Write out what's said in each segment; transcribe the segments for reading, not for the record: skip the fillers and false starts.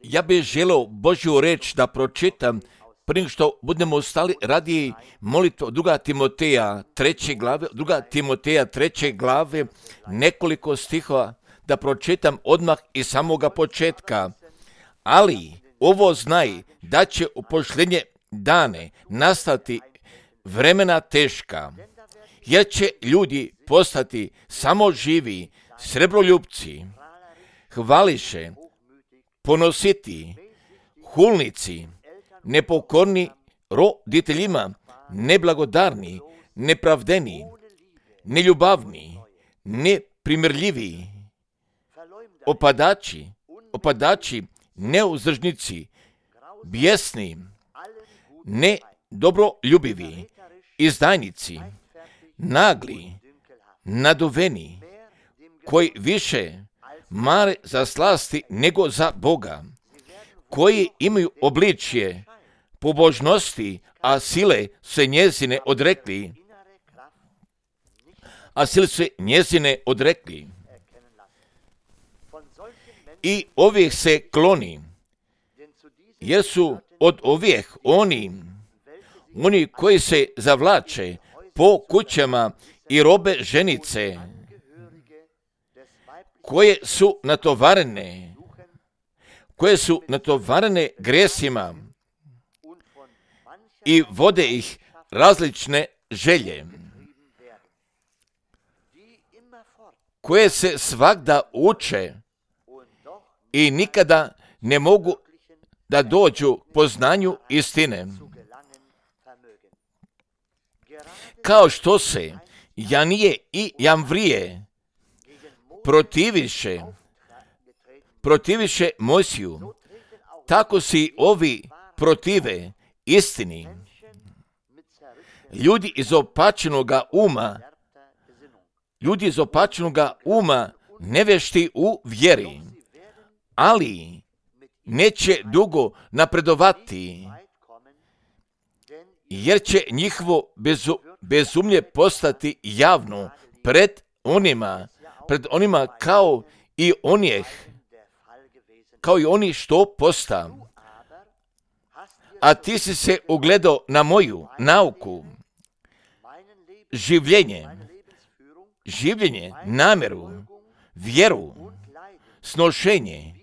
Ja bih želio Božju reč da pročitam prije što budemo stali radi molitvu 2. Timoteja 3. glave, nekoliko stihova da pročitam odmah iz samoga početka. Ali ovo znaj da će u posljednje dane nastati vremena teška, jer će ljudi postati samo živi, srebroljupci, hvališe, ponositi, hulnici, nepokorni roditeljima, neblagodarni, nepravdeni, neljubavni, neprimirljivi, opadači, neuzdržnici, bijesni, nedobroljubiviji, izdajnici, nagli, naduveni, koji više mare za slasti nego za Boga, koji imaju obličje pobožnosti, a sile se njezine odrekli. I ovih se kloni, jer su od ovih oni koji se zavlače po kućama i robe ženice, koje su natovarene grijesima i vode ih različne želje, koje se svagda uče i nikada ne mogu da dođu poznanju istine. Kao što se Janije i Jamvrije protiviše Mojsiju, tako si ovi protive istini. Ljudi iz opačenoga uma nevješti u vjeri, ali neće dugo napredovati, jer će njihovo bezumlje postati javno pred onima kao i oni što posta. A ti si se ugledao na moju nauku, življenje, namjeru, vjeru, snošenje,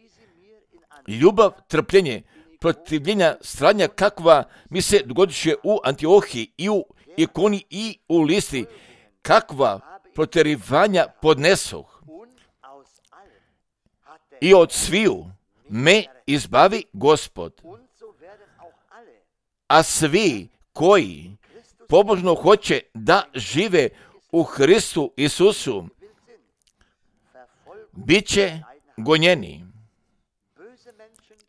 ljubav, trpljenje, protivljenja, stradanja kakva mi se dogodiše u Antiohiji i u Ikoni i u Listri, kakva protjerivanja podnesoh. I od sviju me izbavi Gospod. A svi koji pobožno hoće da žive u Hristu Isusu, bit će gonjeni.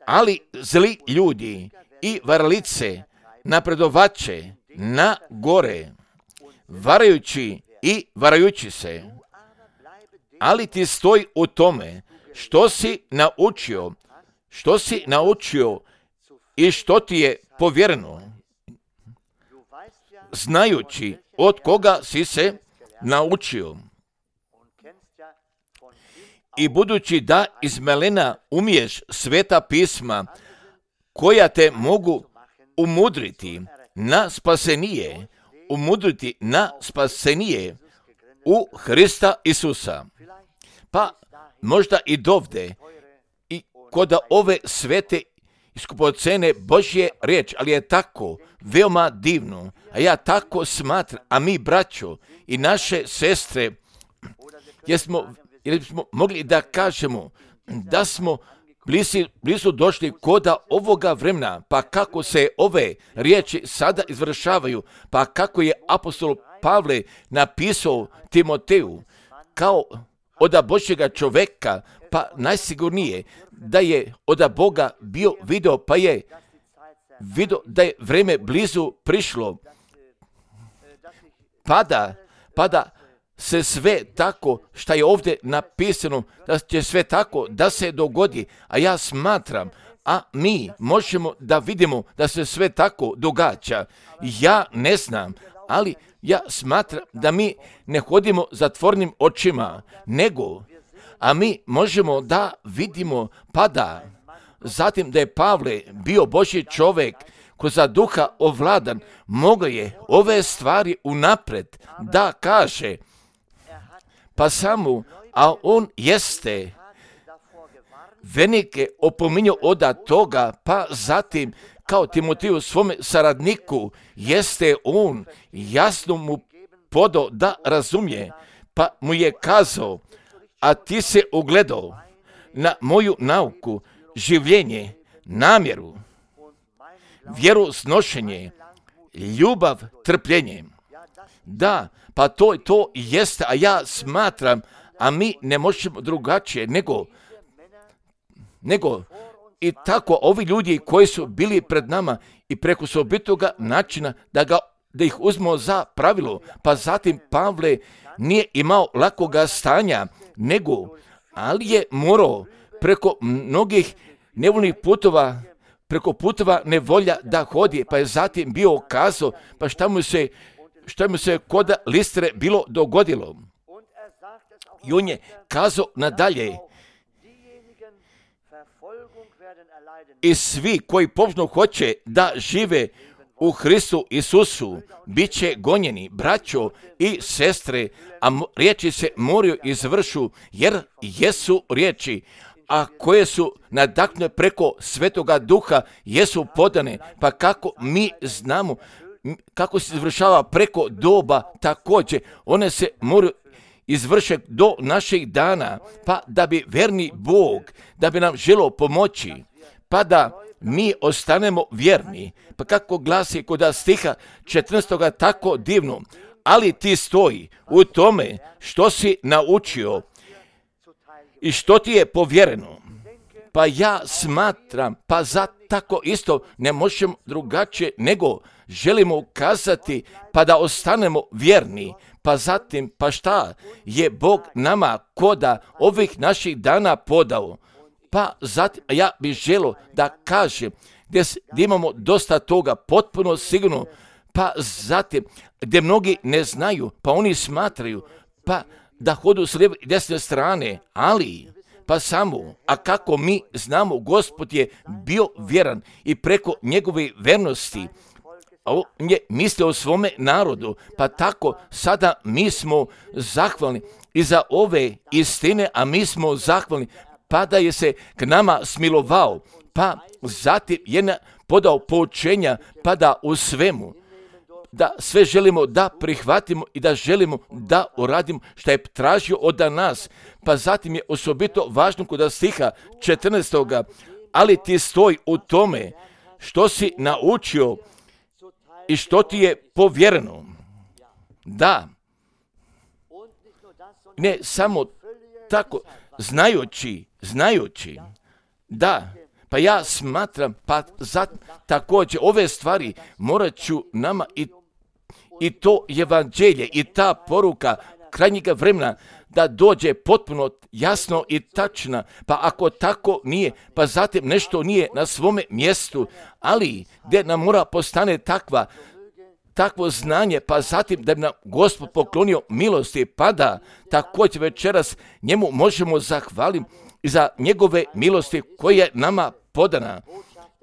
Ali zli ljudi i varalice napredovaće na gore, varajući se. Ali ti stoj u tome što si naučio i što ti je povjereno, znajući od koga si se naučio. I budući da iz melena umiješ sveta pisma, koja te mogu umudriti na spasenije u Hrista Isusa. Pa možda i dovde i kod ove svete iskupocene Božje riječ, ali je tako veoma divno, a ja tako smatram, a mi braćo i naše sestre, jer smo mogli da kažemo da smo blizu došli koda ovoga vremena, pa kako se ove riječi sada izvršavaju, pa kako je apostol Pavle napisao Timoteju, kao od Božjega čoveka, pa najsigurnije da je od Boga bio video, pa je video da je vreme blizu prišlo, pa da se sve tako što je ovdje napisano, da će sve tako da se dogodi, a ja smatram, a mi možemo da vidimo da se sve tako događa. Ja ne znam, ali ja smatram da mi ne hodimo zatvornim očima, nego a mi možemo da vidimo pa da zatim da je Pavle bio Božji čovjek ko za duha ovladan, mogao je ove stvari unapred da kaže, pa samo, a on jeste venike opominjao od toga, pa zatim kao Timotiju svome saradniku, jeste on jasno mu podao da razumije, pa mu je kazao, a ti se ugledao na moju nauku, življenje, namjeru, vjeru, snošenje, ljubav, trpljenje. Da, pa to jeste, a ja smatram, a mi ne možemo drugačije nego i tako ovi ljudi koji su bili pred nama i preko osobitoga načina da ih uzmemo za pravilo, pa zatim Pavle nije imao lakoga stanja, ali je morao preko mnogih nevoljnih putova, preko putova nevolja da hodi, pa je zatim bio kazao, pa šta mu se kod Listre bilo dogodilo. I on je kazao nadalje, i svi koji požno hoće da žive u Hristu Isusu, bit će gonjeni, braćo i sestre, a riječi se moraju izvršu, jer jesu riječi, a koje su nadahnute preko Svetoga Duha, jesu podane, pa kako mi znamo, kako se izvršava preko doba, također, one se moraju izvršiti do naših dana, pa da bi verni Bog, da bi nam želio pomoći, pa da mi ostanemo vjerni. Pa kako glasi kod stiha 14. tako divno, ali ti stoji u tome što si naučio i što ti je povjereno. Pa ja smatram, pa za tako isto ne možemo drugačije nego želimo ukazati pa da ostanemo vjerni. Pa zatim, pa šta je Bog nama koda ovih naših dana podao? Pa zatim, ja bih želio da kažem gdje imamo dosta toga potpuno sigurno, pa zatim gdje mnogi ne znaju, pa oni smatraju pa da hodu s lijeve i desne strane, ali pa samo, a kako mi znamo, Gospod je bio vjeran i preko njegove vernosti on je mislio o svome narodu, pa tako sada mi smo zahvalni i za ove istine, a mi smo zahvalni pa da je se k nama smilovao, pa zatim je podao poučenja, pa da u svemu, da sve želimo da prihvatimo i da želimo da uradimo što je tražio od nas. Pa zatim je osobito važno kod stiha 14. ali ti stoji u tome što si naučio i što ti je povjereno. Da, ne samo tako, znajući, da, pa ja smatram, pa također ove stvari morat ću nama i to evanđelje i ta poruka krajnjega vremena da dođe potpuno jasno i tačna, pa ako tako nije, pa zatim nešto nije na svome mjestu, ali gdje nam mora postane takvo znanje, pa zatim da bi nam Gospod poklonio milosti, pa da također večeras njemu možemo zahvaliti i za njegove milosti koje je nama podana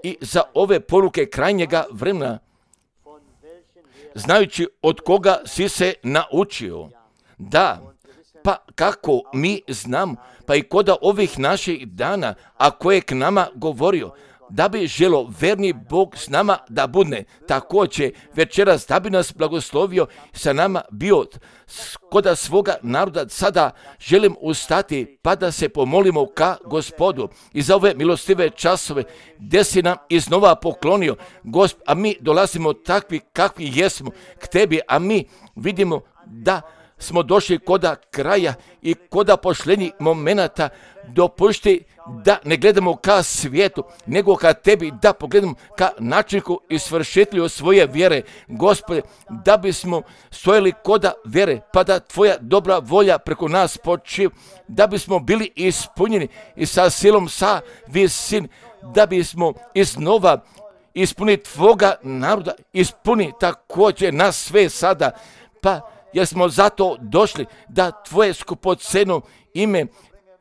i za ove poruke krajnjega vremena, znajući od koga si se naučio. Da, pa kako mi znamo, pa i koda ovih naših dana, a koje je k nama govorio, da bi želo verni Bog s nama da budne, također večeras da bi nas blagoslovio sa nama bio koda svoga naroda. Sada želim ustati pa da se pomolimo ka Gospodu i za ove milostive časove gdje si nam iznova poklonio, a mi dolazimo takvi kakvi jesmo k tebi, a mi vidimo da smo došli koda kraja i koda pošljenjih momenata. Dopušti da ne gledamo ka svijetu, nego ka tebi, da pogledamo ka načinku i svršitelju svoje vjere, Gospode, da bismo stojali koda vjere, pa da tvoja dobra volja preko nas počiva, da bismo bili ispunjeni i sa silom sa visin, da bismo iznova ispuni tvoga naroda, ispuni također nas sve sada, pa jer smo zato došli da tvoje skupoceno ime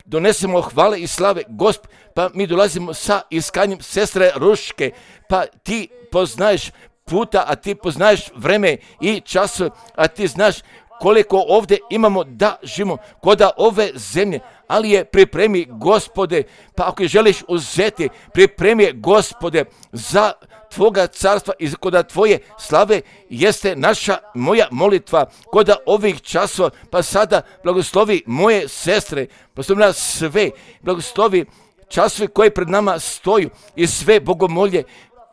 donesemo hvale i slave Gospod, pa mi dolazimo sa iskanjem sestre Ruške, pa ti poznaješ puta, a ti poznaješ vreme i časove, a ti znaš koliko ovdje imamo da živimo kod ove zemlje, ali je pripremi Gospode, pa ako je želiš uzeti, pripremi je Gospode za Tvoga carstva i kod Tvoje slave jeste moja molitva kod ovih časova, pa sada blagoslovi moje sestre, blagoslovi nas sve, blagoslovi časove koje pred nama stoju i sve bogomolje,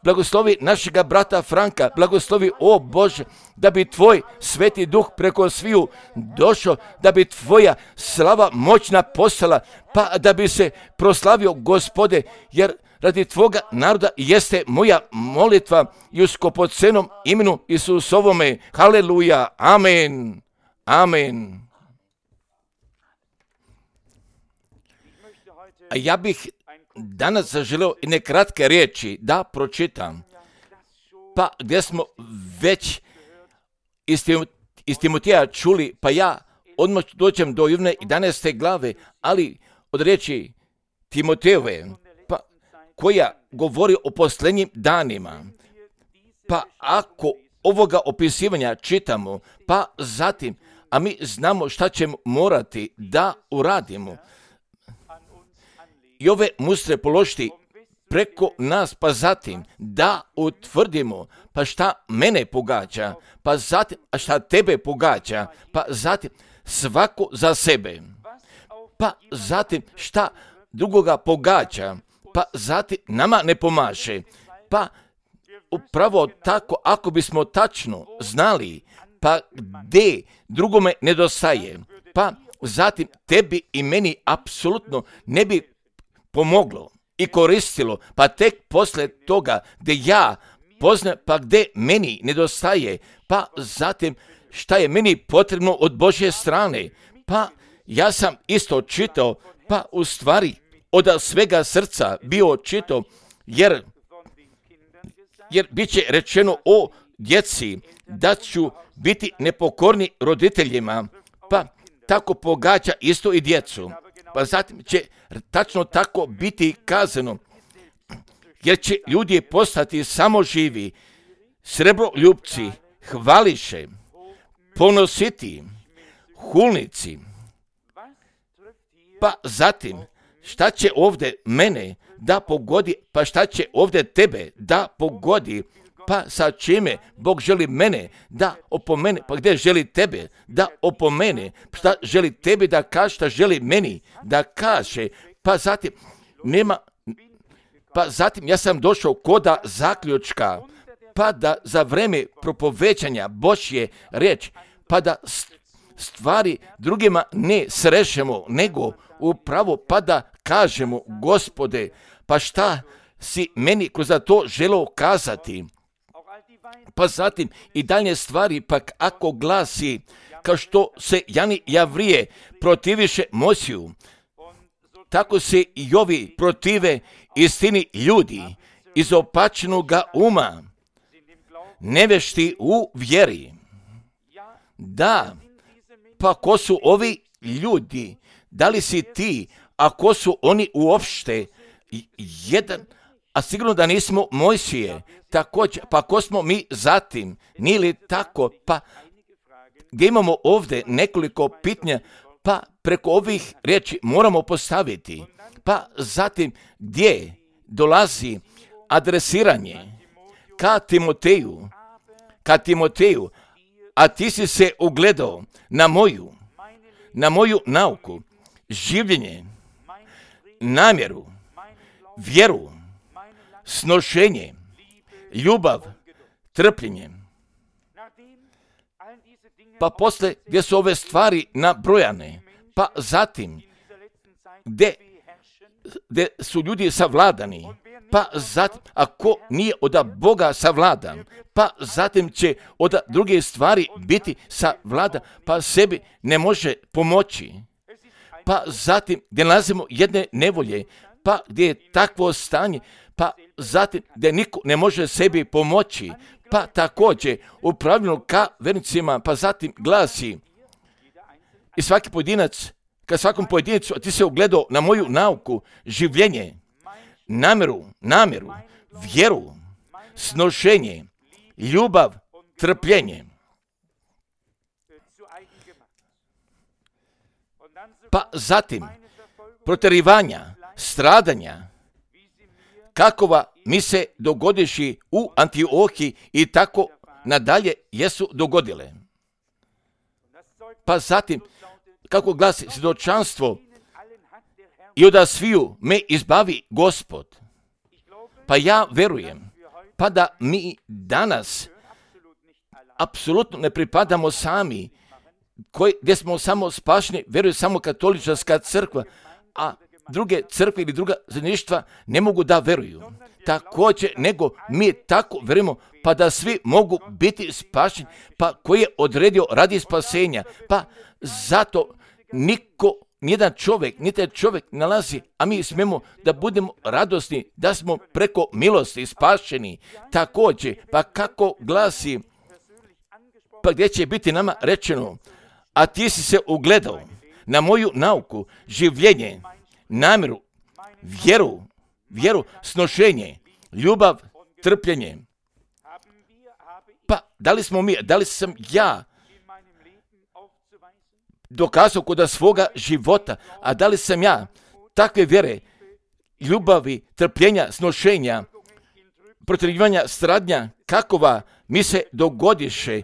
blagoslovi našega brata Franka, blagoslovi, o Bože, da bi Tvoj Sveti Duh preko sviju došao, da bi Tvoja slava moćna postala, pa da bi se proslavio Gospode, jer radi Tvoga naroda jeste moja molitva i u skopocenom imenu Isusovome. Haleluja, amen, amen. A ja bih danas zaželeo i nekratke riječi da pročitam, pa gdje smo već iz Timoteja čuli, pa ja odmah dođem do Jovne 11. glave, ali od riječi Timotejove, pa koja govori o posljednjim danima. Pa ako ovoga opisivanja čitamo, pa zatim, a mi znamo šta ćemo morati da uradimo, i ove mustre položiti preko nas, pa zatim da utvrdimo, pa šta mene pogađa, pa zatim, a šta tebe pogađa, pa zatim svako za sebe, pa zatim šta drugoga pogađa, pa zatim nama ne pomaže, pa upravo tako ako bismo tačno znali, pa gdje drugome nedostaje, pa zatim tebi i meni apsolutno ne bi pomoglo i koristilo, pa tek poslije toga gdje ja poznajem, pa gdje meni nedostaje, pa zatim šta je meni potrebno od Božje strane, pa ja sam isto čitao, pa u stvari od svega srca bio čitao, jer bit će rečeno o djeci da ću biti nepokorni roditeljima, pa tako pogađa isto i djecu. Pa zatim će tačno tako biti kazano, jer će ljudi postati samo živi, srebroljupci, hvališe, ponositi, hulnici. Pa zatim, šta će ovdje mene da pogodi, pa šta će ovdje tebe da pogodi, pa sa čime Bog želi mene da opomene, pa gdje želi tebe da opomene, šta želi tebi da kaže, šta želi meni da kaže, pa zatim ja sam došao koda zaključka, pa da za vreme propovećanja Božje riječi, pa da stvari drugima ne srešemo, nego upravo pa da kažemo, Gospode, pa šta si meni kroz to želeo kazati. Pa zatim i dalje stvari, pak ako glasi, kao što se Jani Javrije protiviše Mojsiju, tako se i ovi protive istini ljudi izopačenoga uma, nevešti u vjeri. Da, pa ko su ovi ljudi? Da li si ti, a ko su oni uopšte? Jedan, a sigurno da nismo Mojsije. Također, pa ko smo mi zatim? Nije li tako? Pa gdje imamo ovdje nekoliko pitanja, pa preko ovih riječi moramo postaviti. Pa zatim gdje dolazi adresiranje ka Timoteju, a ti si se ugledao na moju nauku, življenje, namjeru, vjeru, snošenje, ljubav, trpljenje. Pa posle gdje su ove stvari nabrojane, pa zatim gdje su ljudi savladani, pa zatim ako nije od Boga savladan, pa zatim će od druge stvari biti savladan, pa sebi ne može pomoći. Pa zatim gdje nalazimo jedne nevolje, pa gdje je takvo stanje, pa zatim gdje niko ne može sebi pomoći, pa također upravljeno ka vernicima, pa zatim glasi i svaki pojedinac ka svakom pojedincu, a ti se ugledao na moju nauku, življenje, namjeru, vjeru, snošenje, ljubav, trpljenje. Pa zatim, protjerivanja, stradanja, kakova mi se dogodiši u Antiohiji i tako nadalje jesu dogodile. Pa zatim, kako glasi svjedočanstvo, i od sviju me izbavi Gospod. Pa ja verujem, pa da mi danas apsolutno ne pripadamo sami, gdje smo samo spašeni, veruje samo katolička crkva, a druge crkve ili druga zajedništva ne mogu da veruju. Također, nego mi tako verujemo, pa da svi mogu biti spašeni, pa koji je odredio radi spasenja, pa zato nijedan čovjek nalazi, a mi smemo da budemo radosni, da smo preko milosti spašeni. Također, pa kako glasi, pa gdje će biti nama rečeno, a ti si se ugledao na moju nauku, življenje, namjeru, vjeru, snošenje, ljubav, trpljenje. Pa da li sam ja dokazao kod svoga života, a da li sam ja takve vjere, ljubavi, trpljenja, snošenja, protjerivanja, stradnja, kakova mi se dogodiše,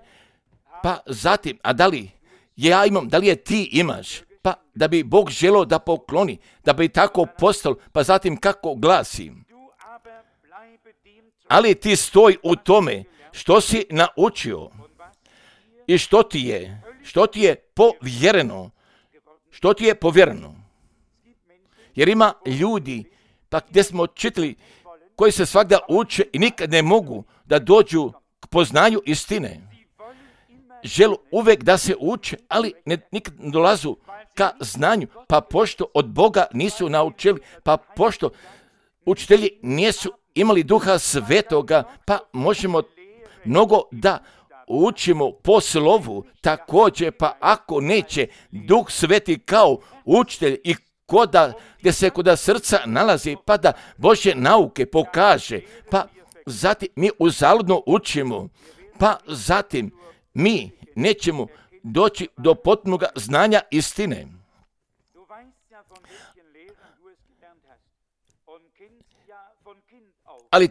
pa zatim, a da li ja imam, da li je ti imaš, pa da bi Bog želio da pokloni, da bi tako postalo, pa zatim kako glasi. Ali ti stoj u tome što si naučio i što ti je povjereno. Jer ima ljudi, pa gdje smo čitali, koji se svakda uče i nikad ne mogu da dođu k poznanju istine. Želu uvijek da se uče, ali nikad ne dolazu ka znanju, pa pošto od Boga nisu naučili, pa pošto učitelji nisu imali Duha Svetoga, pa možemo mnogo da učimo po slovu. Također, pa ako neće Duh Sveti kao učitelj i gdje se kod srca nalazi, pa da Božje nauke pokaže, pa zatim mi uzaludno učimo, pa zatim mi nećemo doći do potpunog znanja istine. Ali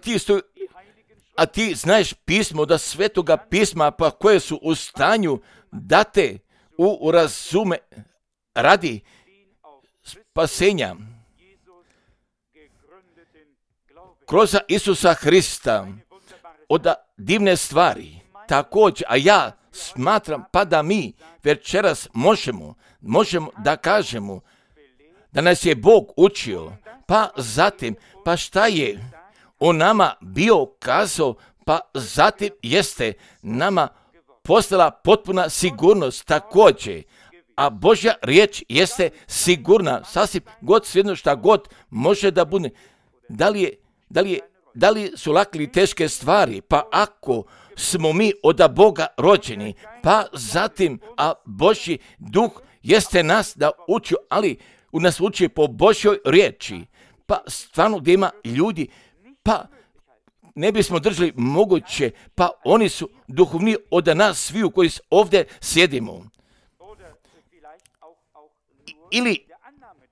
ti znaš pismo, da svetoga pisma, pa koje su u stanju da te razume radi spasenja kroz Isusa Hrista od divne stvari. Također, a ja smatram pa da mi večeras možemo da kažemo da nas je Bog učio, pa zatim, pa šta je o nama bio kazao, pa zatim jeste nama postala potpuna sigurnost također. A Božja riječ jeste sigurna, sasvim god svejedno šta god može da bude. Da li su lake ili teške stvari, pa ako smo mi od Boga rođeni, pa zatim, a Božji duh jeste nas da uči, ali u nas uči po Božjoj riječi, pa stvarno gdje ima ljudi, pa ne bismo držali moguće, pa oni su duhovni od nas sviju koji ovdje sjedimo. Ili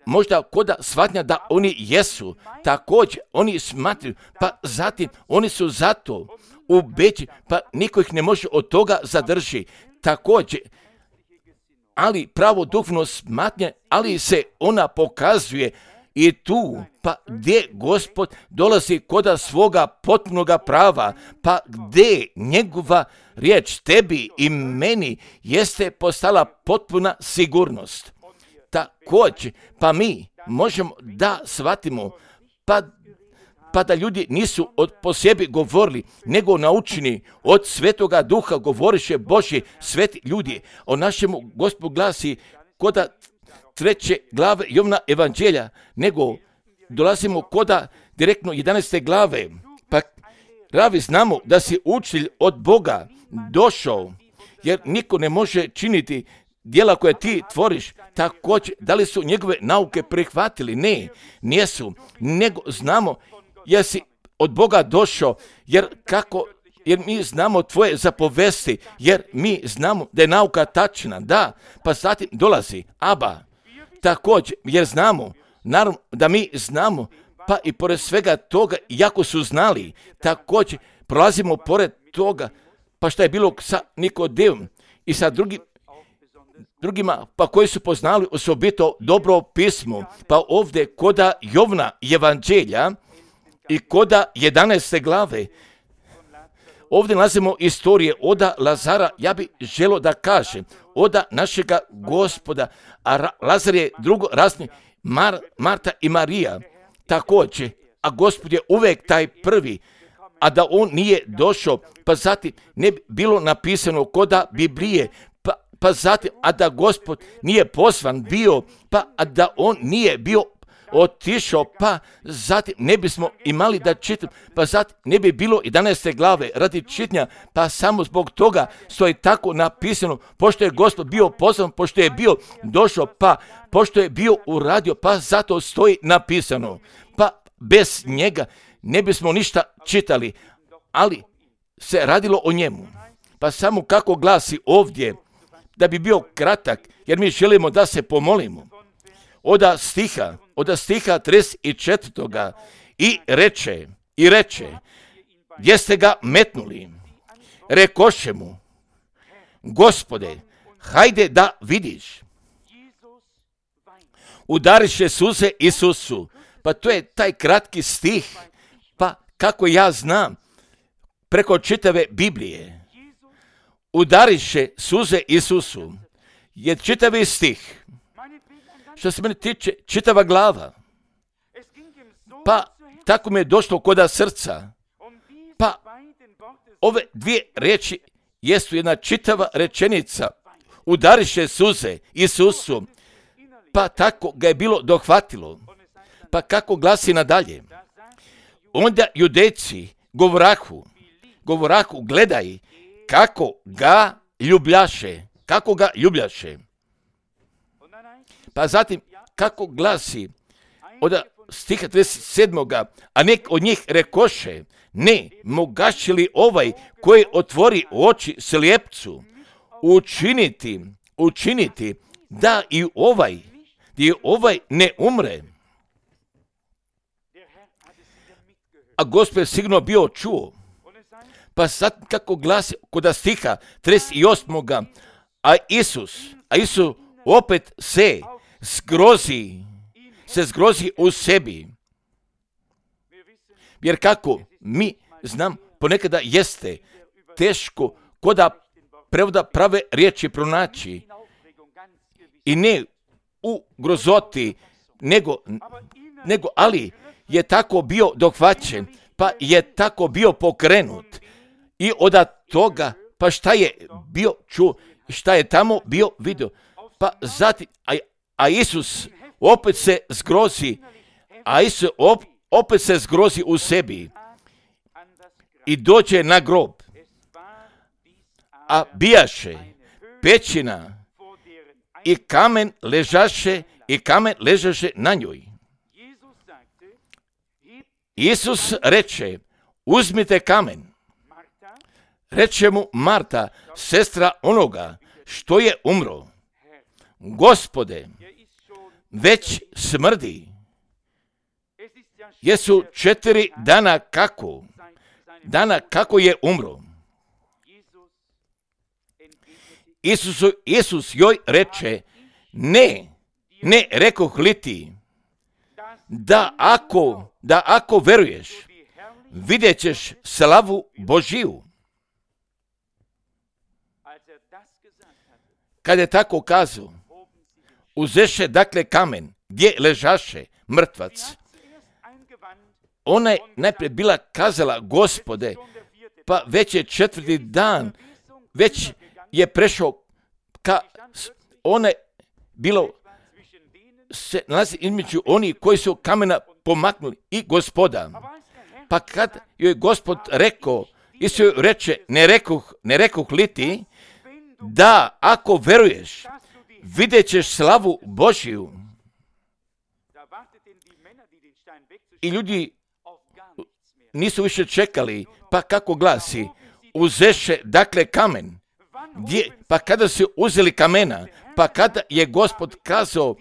možda koda shvatnja da oni jesu, također oni smatruju, pa zatim oni su zato ubeđeni, pa niko ih ne može od toga zadrži. Također, ali pravo duhovno smatnje, ali se ona pokazuje i tu, pa gdje Gospod dolazi koda svoga potpunoga prava, pa gdje njegova riječ tebi i meni jeste postala potpuna sigurnost. Također, pa mi možemo da shvatimo, pa da ljudi nisu po sebi govorili, nego naučeni od Svetoga Duha govoriše Božji sveti ljudi. O našemu Gospodu glasi koda 3. glave Jovna evanđelja, nego dolazimo koda direktno 11. glave. Pa ravi znamo da si učitelj od Boga došao, jer niko ne može činiti djela koje ti tvoriš, također, da li su njegove nauke prihvatili? Ne, nijesu, nego znamo jer si od Boga došao, jer mi znamo tvoje zapovesti, jer mi znamo da je nauka tačna, da, pa zatim dolazi Aba, također, jer znamo, naravno da mi znamo, pa i pored svega toga, iako su znali, također prolazimo pored toga, pa šta je bilo sa Nikodemom i sa drugima, pa koji su poznali osobito dobro pismo, pa ovdje koda Jovna evanđelja i koda 11. glave, ovdje nalazimo istorije oda Lazara, ja bih želio da kažem, oda našega Gospoda, a Lazar je drugorazredni, Marta i Marija, također, a Gospod je uvijek taj prvi, a da on nije došao, pa zatim ne bi bilo napisano koda Biblije, pa zatim, a da Gospod nije poslan bio, pa a da on nije bio otišao, pa zatim ne bismo imali da čitam, pa zatim ne bi bilo 11. glave radi čitanja, pa samo zbog toga stoji tako napisano, pošto je Gospod bio poslan, pošto je bio došao, pa pošto je bio uradio, pa zato stoji napisano, pa bez njega ne bismo ništa čitali, ali se radilo o njemu. Pa samo kako glasi ovdje, da bi bio kratak, jer mi želimo da se pomolimo. Oda stiha 34. I reče, gdje ste ga metnuli? Rekoše mu, Gospode, hajde da vidiš. Udariše suze Isusu. Pa to je taj kratki stih, pa kako ja znam, preko čitave Biblije. Udariše suze Isusu je čitavi stih. Što se mene tiče, čitava glava. Pa tako mi je došlo koda srca. Pa ove dvije riječi jesu jedna čitava rečenica. Udariše suze Isusu. Pa tako ga je bilo dohvatilo. Pa kako glasi nadalje? Onda judejci govorahu, gledaj kako ga ljubljaše. Pa zatim, kako glasi od stiha 37. A nek od njih rekoše, ne, mogaće li ovaj koji otvori oči slijepcu učiniti da i ovaj ne umre. A Gospod je sigurno bio čuo. Pa sad kako glasi kod stiha 38. A Isus opet se zgrozi u sebi. Jer kako mi znam, ponekada jeste teško koda prevoda prave riječi pronaći. I ne u grozoti, nego ali je tako bio dohvaćen, pa je tako bio pokrenut. I od toga, pa šta je bio čuo, šta je tamo bio vidio. Pa zatim, a Isus opet se zgrozi, u sebi i dođe na grob. A bijaše pećina i kamen ležaše na njoj. Isus reče, uzmite kamen. Reče mu Marta, sestra onoga što je umro. Gospode, već smrdi. Jesu 4 dana kako je umro. Isus joj reče, ne rekoh li ti, da ako veruješ, vidjet ćeš slavu Božiju. Kad je tako kazao, uzeše dakle kamen gdje ležaše mrtvac. Ona je najprije bila kazala, Gospode, pa već je 4. dan, već je prešao ona je bilo se nalazi između onih koji su kamena pomaknuli i Gospoda. Pa kad joj Gospod rekao, Isus joj reče, ne rekoh li ti, da ako veruješ, vidjet ćeš slavu Božju. I ljudi nisu više čekali, pa kako glasi, uzeše dakle kamen. Gdje? Pa kada su uzeli kamena, pa kada je Gospod kazao,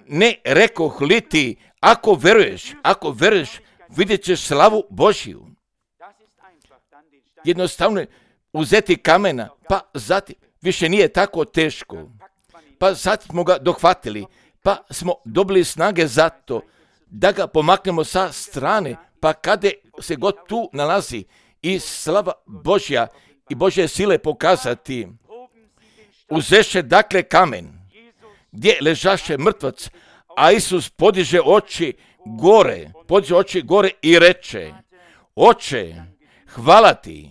ne rekoh li ti, ako veruješ, vidjet ćeš slavu Božju. Jednostavno je uzeti kamena, pa zatim više nije tako teško. Pa zatim smo ga dohvatili, pa smo dobili snage za to da ga pomaknemo sa strane, pa kada se god tu nalazi i slava Božja i Božje sile pokazati, uzeše dakle kamen, gdje ležaše mrtvac, a Isus podiže oči gore i reče, Oče, hvala ti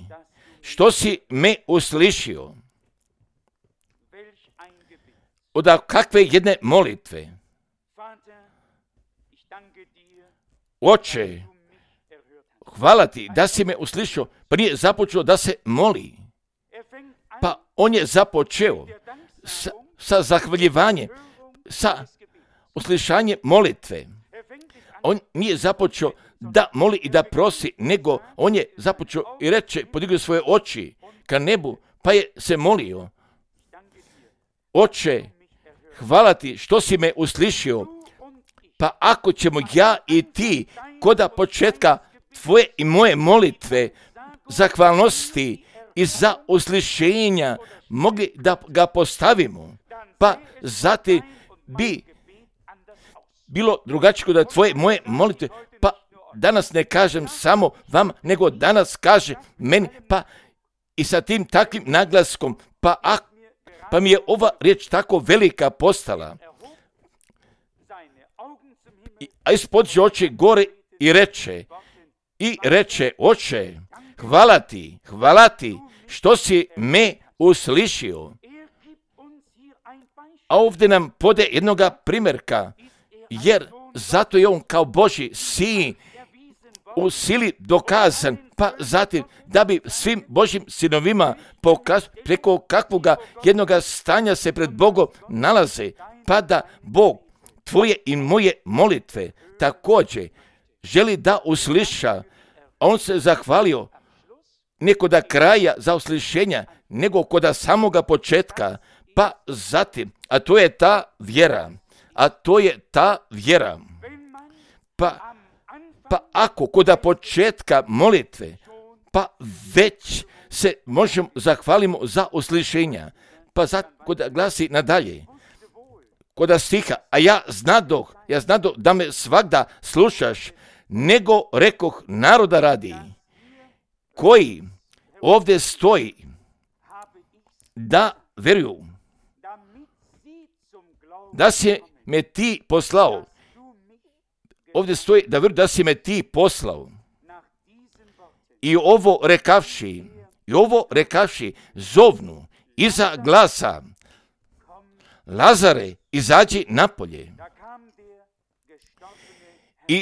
što si me uslišio. Od kakve jedne molitve. Oče, hvala ti da si me uslišio, pa nije započeo da se moli. Pa on je započeo sa zahvaljivanjem, sa uslišanjem molitve. On nije započeo da moli i da prosi, nego on je započeo i reče, podigao svoje oči ka nebu, pa je se molio. Oče, hvala ti što si me uslišio, pa ako ćemo ja i ti koda početka tvoje i moje molitve, zahvalnosti i za uslišenja mogli da ga postavimo, pa zatim bi bilo drugačije da tvoje moje molitve, pa danas ne kažem samo vam, nego danas kaže meni, pa i sa tim takvim naglaskom, pa mi je ova riječ tako velika postala. A ispod oči gore i reče, Oče, hvala ti što si me uslišio. A ovdje nam pode jednoga primjerka, jer zato je on kao Božji sin u sili dokazan, pa zatim da bi svim Božjim sinovima pokazao preko kakvoga jednoga stanja se pred Bogom nalaze, pa da Bog tvoje i moje molitve također želi da usliša, a on se zahvalio ne koda kraja za uslišenja, nego koda samoga početka, pa zatim, a to je ta vjera, pa ako koda početka molitve, pa već se možemo zahvalimo za uslišenja, pa zato koda glasi nadalje, koda stiha, a ja znadoh da me svagda slušaš, nego rekoh naroda radi, koji ovdje stoji, da veruju, da si me ti poslao. Ovdje stoji da veruju da si me ti poslao. I ovo rekavši, zovnu iza glasa, Lazare, izađi napolje. I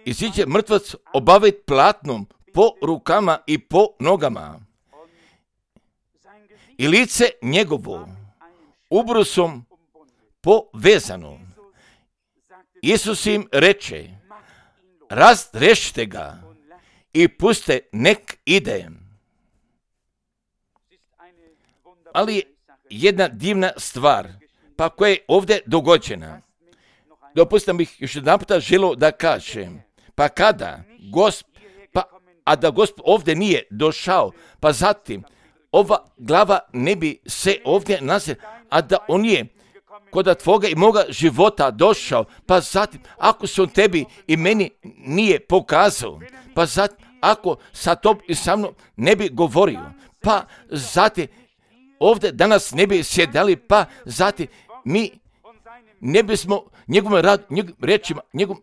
iziđe mrtvac obavit platnom po rukama i po nogama. I lice njegovo ubrusom povezano. Isus im reče, razrešite ga i puste nek ide. Ali jedna divna stvar, pa koja je ovdje dogođena. Dopustite bih još jedan puta želio da kažem, pa kada a da Gospod ovdje nije došao, pa zatim ova glava ne bi se ovdje nalazila, a da on je kod tvoga i moga života došao, pa zatim ako se on tebi i meni nije pokazao, pa zatim ako sa tobom i sa mnom ne bi govorio, pa zatim ovdje danas ne bi sjedali, pa zatim mi ne bismo njegovom rečima, njegovom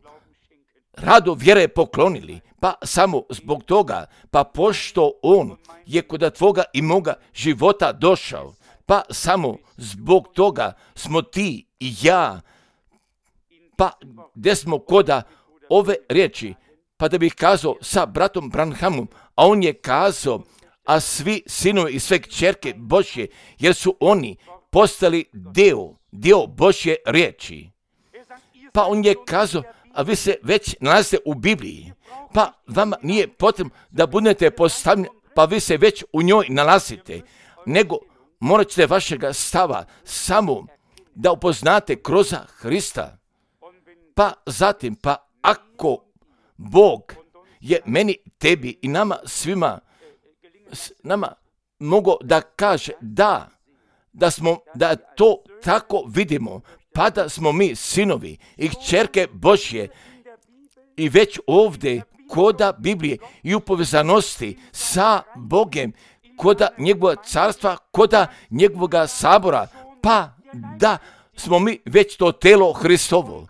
radu vjere poklonili, pa samo zbog toga, pa pošto on je kod tvoga i moga života došao, pa samo zbog toga smo ti i ja, pa gdje smo koda ove riječi, pa da bih kazao sa bratom Branhamom, a on je kazao, a svi sinovi i sve kćerke Božje, jer su oni postali dio Božje riječi. Pa on je kazao, a vi se već nalazite u Bibliji, pa vama nije potrebno da budete postavljeni, pa vi se već u njoj nalazite, nego morat ćete vašega stava samo da upoznate kroz Hrista. Pa zatim, pa ako Bog je meni, tebi i nama svima, nama mogo da kaže da to tako vidimo, pa da smo mi sinovi i kćerke Božje i već ovdje koda Biblije i u povezanosti sa Bogem, koda njegovog carstva, koda njegovoga sabora, pa da smo mi već to telo Hristovo.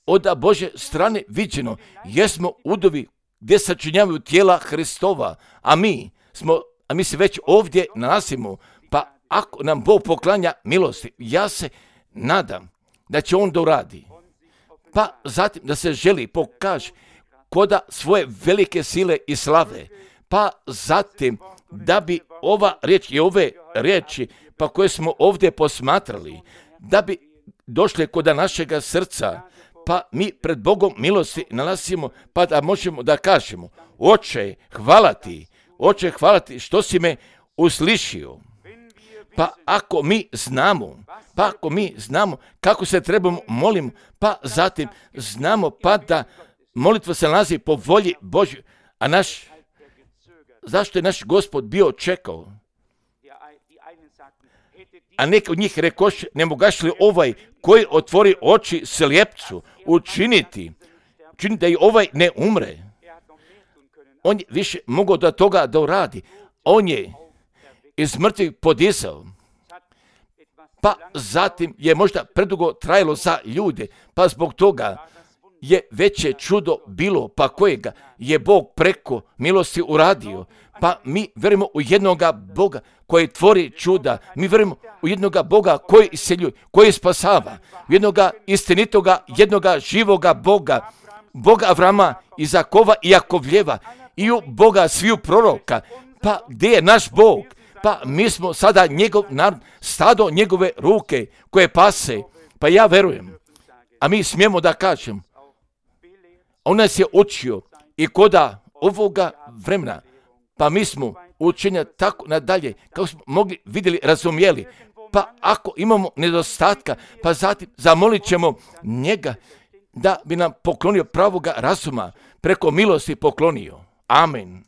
Od Božje strane viđeno, jesmo udovi gdje sačinjavaju tijela Hristova, a mi se već ovdje nalazimo, pa ako nam Bog poklanja milosti, ja se nadam da će on doradi. Pa zatim da se želi pokaže koda svoje velike sile i slave, pa zatim da bi ova riječ i ove riječi pa koje smo ovdje posmatrali, da bi došle koda našega srca, pa mi pred Bogom milosti nalazimo, pa da možemo da kažemo, Oče, hvala ti što si me uslišio. Pa ako mi znamo kako se trebamo molimo, pa zatim znamo pa da molitva se nalazi po volji Božjoj, zašto je naš Gospod bio čekao? A neki od njih rekoše, ne mogaš li ovaj koji otvori oči slijepcu učiniti da i ovaj ne umre? On je više mogao do toga da uradi. On je iz mrtvih podizao. Pa zatim je možda predugo trajalo za ljude, pa zbog toga je veće čudo bilo, pa kojega je Bog preko milosti uradio. Pa mi vjerujemo u jednoga Boga koji tvori čuda. Mi vjerujemo u jednoga Boga koji isceljuje, koji spasava. U jednoga istinitoga, jednoga živoga Boga. Boga Avrama, Izakova i Jakovljeva. I u Boga sviju proroka. Pa gdje je naš Bog? Pa mi smo sada njegov narod, stado njegove ruke koje pase. Pa ja verujem. A mi smijemo da kažem. On nas je učio i koda ovoga vremena. Pa mi smo učenja tako nadalje, kako smo mogli, vidjeli, razumjeli. Pa ako imamo nedostatka, pa zatim zamolit ćemo njega da bi nam poklonio pravoga razuma, preko milosti poklonio. Amen.